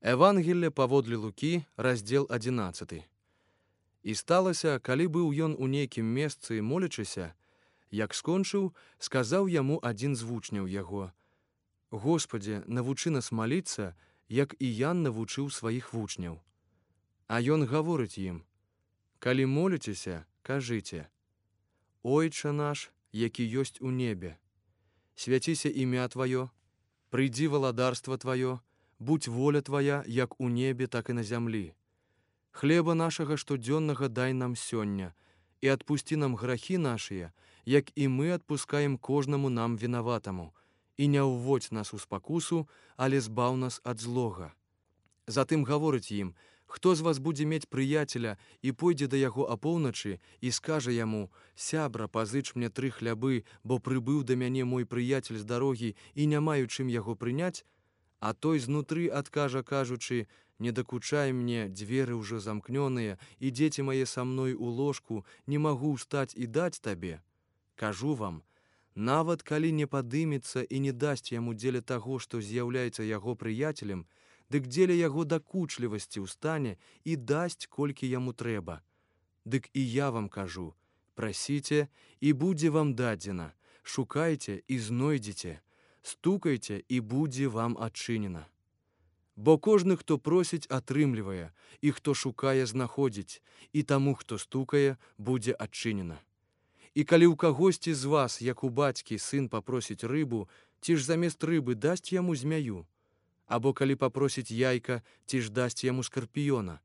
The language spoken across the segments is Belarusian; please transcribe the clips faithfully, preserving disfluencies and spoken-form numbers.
Евангелле паводле Лукі, раздзел адзінаццаты. І сталася, калі быў ён у нейкім месцы молячыся, як скончыў, сказаў яму адзін з вучняў яго: «Господзе, навучы нас маліцца, як і Ян навучыў сваіх вучняў». А ён гаворыць ім: «Калі моліцеся, кажыце: Ойча наш, які ёсць у небе, свяціся імя Тваё, прыйдзі валадарства Тваё, будь воля Твая, як у небе, так і на зямлі. Хлеба нашага штодзённага дай нам сёння, і адпусці нам грахі нашыя, як і мы адпускаем кожнаму нам вінаватаму, і не ўводзь нас у спакусу, але збаў нас ад злога». Затым гаворыць ім: «Хто з вас будзе мець прыяцеля і пойдзе да яго апоўначы і скажа яму: сябра, пазыч мне тры хлябы, бо прыбыў да мяне мой прыяцель з дарогі і не маю чым яго прыняць, а той знутры адкажа, кажучы: не дакучай мне, дзверы ўжо замкнёныя, і дзеці мае са мной у ложку, не магу ўстаць і даць табе. Кажу вам, нават калі не падымецца і не дасць яму дзеля таго, што з'яўляецца яго прыяцелем, дык дзеля яго дакучлівасці ўстане і дасць, колькі яму трэба. Дык і я вам кажу: прасіце, і будзе вам дадзена, шукайце і знойдзеце, стукайце, і будзе вам адчынена. Бо кожны, хто просіць, атрымлівае, і хто шукае, знаходзіць, і таму, хто стукае, будзе адчынена. І калі ў кагосьці з вас, як у бацькі, сын папросіць рыбу, ці ж замест рыбы дасць яму змяю? Або калі папросіць яйка, ці ж дасць яму скарпіёна?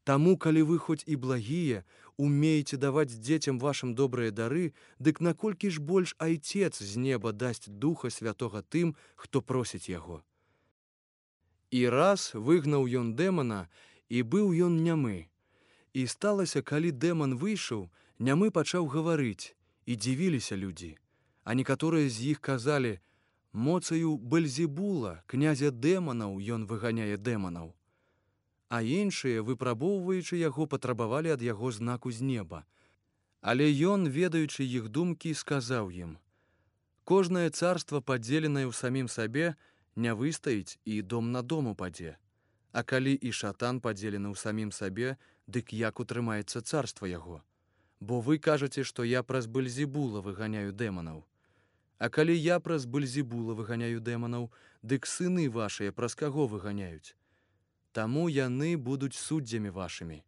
Таму, калі вы хоць і благія, умееце даваць дзецям вашым добрыя дары, дык наколькі ж больш Айцец з неба дасць Духа Святога тым, хто просіць яго». І раз выгнаў ён дэмана, і быў ён нямы. І сталася, калі дэман выйшаў, нямы пачаў гаварыць, і дзівіліся людзі. А некаторыя з іх казалі: «Моцаю Бэльзебула, князя дэманаў, ён выганяе дэманаў». А іншыя, выпрабоўваючы яго, патрабавалі ад яго знаку з неба. Але ён, ведаючы іх думкі, сказаў ім: «Кожнае царства, падзеленае ў самім сабе, не выстаіць, і дом на дом упадзе. А калі і шатан падзелены ў самім сабе, дык як утрымаецца царства яго? Бо вы кажаце, што я праз Бэльзебула выганяю дэманаў. А калі я праз Бэльзебула выганяю дэманаў, дык сыны вашыя праз каго выганяюць? Таму яны будуць суддзямі вашымі.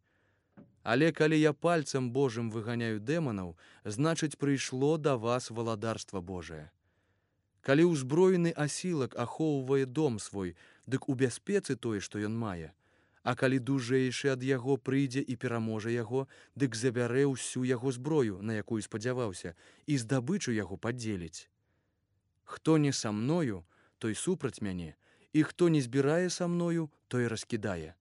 Але калі я пальцам Божым выганяю дэманаў, значыць, прыйшло да вас валадарства Божае. Калі ўзброены асілак ахоўвае дом свой, дык у бяспецы тое, што ён мае. А калі дужэйшы ад яго прыйдзе і пераможа яго, дык забярэ ўсю яго зброю, на якую спадзяваўся, і здабычу яго падзеліць. Хто не са мною, той супраць мяне, і хто не збірае са мною, той раскідае.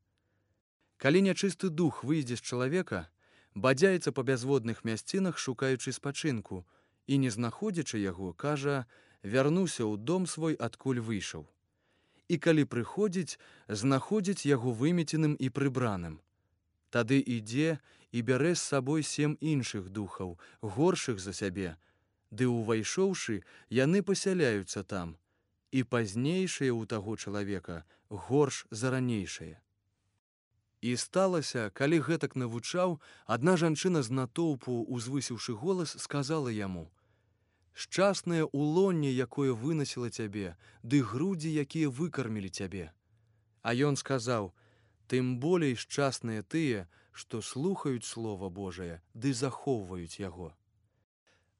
Калі нячысты дух выйдзе з чалавека, бадзяецца па бязводных мясцінах, шукаючы спачынку, і, не знаходзячы яго, кажа: вярнуся ў дом свой, адкуль выйшаў. І калі прыходзіць, знаходзіць яго вымеценым і прыбраным. Тады ідзе і бярэ з сабой сем іншых духаў, горшых за сябе, ды, увайшоўшы, яны пасяляюцца там, і пазнейшыя ў таго чалавека горш за ранейшае». І сталася, калі гэтак навучаў, адна жанчына з натоўпу, узвысіўшы голас, сказала яму: «Шчаснае ўлонне, якое вынасіла цябе, ды грудзі, якія выкармілі цябе». А ён сказаў: «Тым болей шчасныя тыя, што слухаюць Слова Божае, ды захоўваюць яго».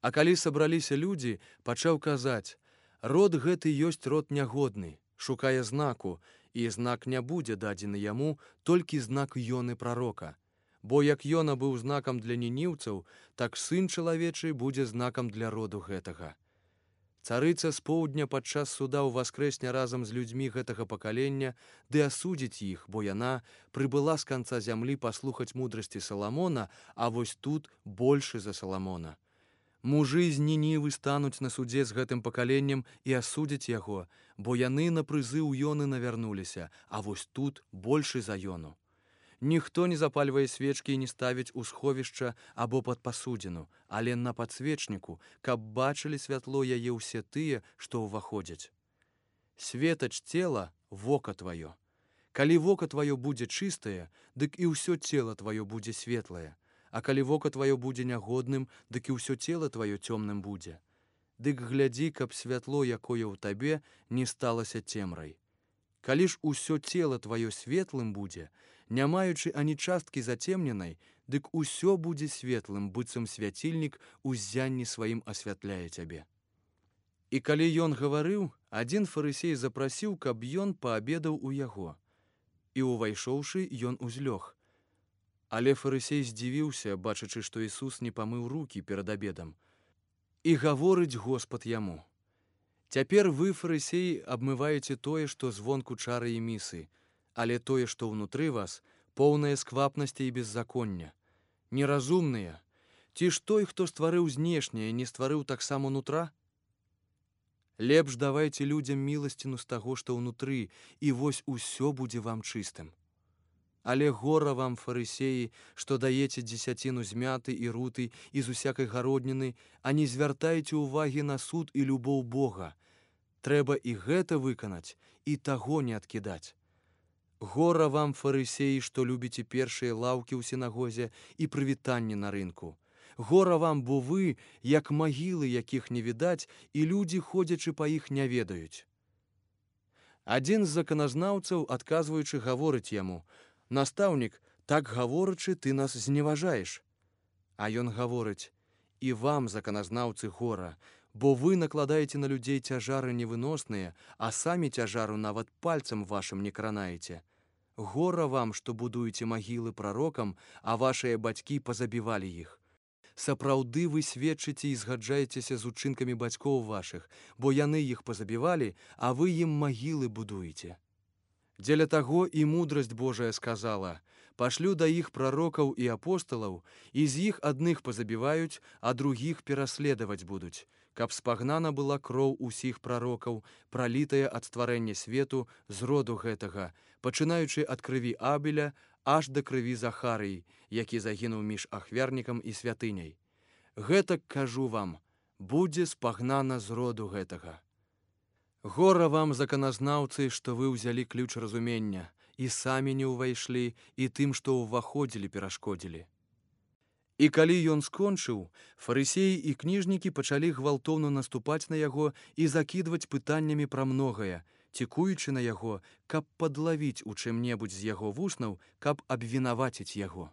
А калі сабраліся людзі, пачаў казаць: «Род гэты ёсць род нягодны, шукае знаку, і знак не будзе дадзены яму, толькі знак Ёны прарока. Бо як Ёна быў знакам для нініўцаў, так сын чалавечы будзе знакам для роду гэтага. Царыца з поўдня падчас суда ўваскрэсне разам з людзьмі гэтага пакалення, ды асудзіць іх, бо яна прыбыла з канца зямлі паслухаць мудрасці Саламона, а вось тут большы за Саламона. Мужы з Нінівы стануць на судзе з гэтым пакаленнем і асудзяць яго, бо яны на прызыў Ёны навярнуліся, а вось тут большы за Ёну. Ніхто не запальвае свечкі і не ставіць у сховішча або пад пасудзіну, але на падсвечніку, каб бачылі святло яе ўсе тыя, што ўваходзяць. Светач цела — вока тваё. Калі вока тваё будзе чыстае, дык і ўсё цела тваё будзе светлае, а калі вока тваё будзе нягодным, дык і ўсё цела тваё цёмным будзе. Дык глядзі, каб святло, якое ў табе, не сталася цемрай. Калі ж усё цела тваё светлым будзе, не маючы ані часткі зацемненай, дык усё будзе светлым, быццам свяцільнік у ззянні сваім асвятляе цябе. І калі ён гаварыў, адзін фарысей запрасіў, каб ён паабедаў у яго. І увайшоўшы, ён узлёг. Але фарысей здзівіўся, бачачы, што Ісус не памыў рукі перад абедам. І гаворыць Господ яму: «Цяпер вы, фарысеі, абмываеце тое, што звонку чары і місы, але тое, што ўнутры вас, поўнае сквапнасці і беззаконня. Неразумныя, ці ж той, хто стварыў знешняе, не стварыў таксама нутра? Лепш давайце людзям міласціну з таго, што ўнутры, і вось усё будзе вам чыстым. Але гора вам, фарысеі, што даеце дзесяціну з мяты і руты і з усякай гародніны, а не звяртаеце ўвагі на суд і любоў Бога. Трэба і гэта выканаць, і таго не адкідаць. Гора вам, фарысеі, што любіце першыя лаўкі ў сінагозе і прывітанні на рынку. Гора вам, бо вы, як магілы, якіх не відаць, і людзі, ходзячы па іх, не ведаюць». Адзін з заканазнаўцаў, адказваючы, гаворыць яму: «Настаўнік, так гаворачы, ты нас зневажаеш». А ён гаворыць: «І вам, заканазнаўцы, гора, бо вы накладаеце на людзей цяжары невыносныя, а самі цяжару нават пальцам вашым не кранаеце. Гора вам, што будуеце магілы прарокам, а вашыя бацькі пазабівалі іх. Сапраўды вы сведчыце і згаджаецеся з учынкамі бацькоў вашых, бо яны іх пазабівалі, а вы ім магілы будуеце. Дзеля таго і мудрасць Божая сказала: пашлю да іх прарокаў і апосталаў, і з іх адных пазабіваюць, а другіх пераследаваць будуць, каб спагнана была кроў усіх прарокаў, пралітая ад стварэння свету з роду гэтага, пачынаючы ад крыві Абеля аж да крыві Захарыі, які загінуў між ахвярнікам і святыняй. Гэтак кажу вам, будзе спагнана з роду гэтага. Гора вам, заканазнаўцы, што вы ўзялі ключ разумення, і самі не ўвайшлі, і тым, што ўваходзілі, перашкодзілі». І калі ён скончыў, фарысеі і кніжнікі пачалі гвалтоўна наступаць на яго і закідваць пытаннямі пра многае, цікуючы на яго, каб падлавіць у чым-небудзь з яго вуснаў, каб абвінаваціць яго.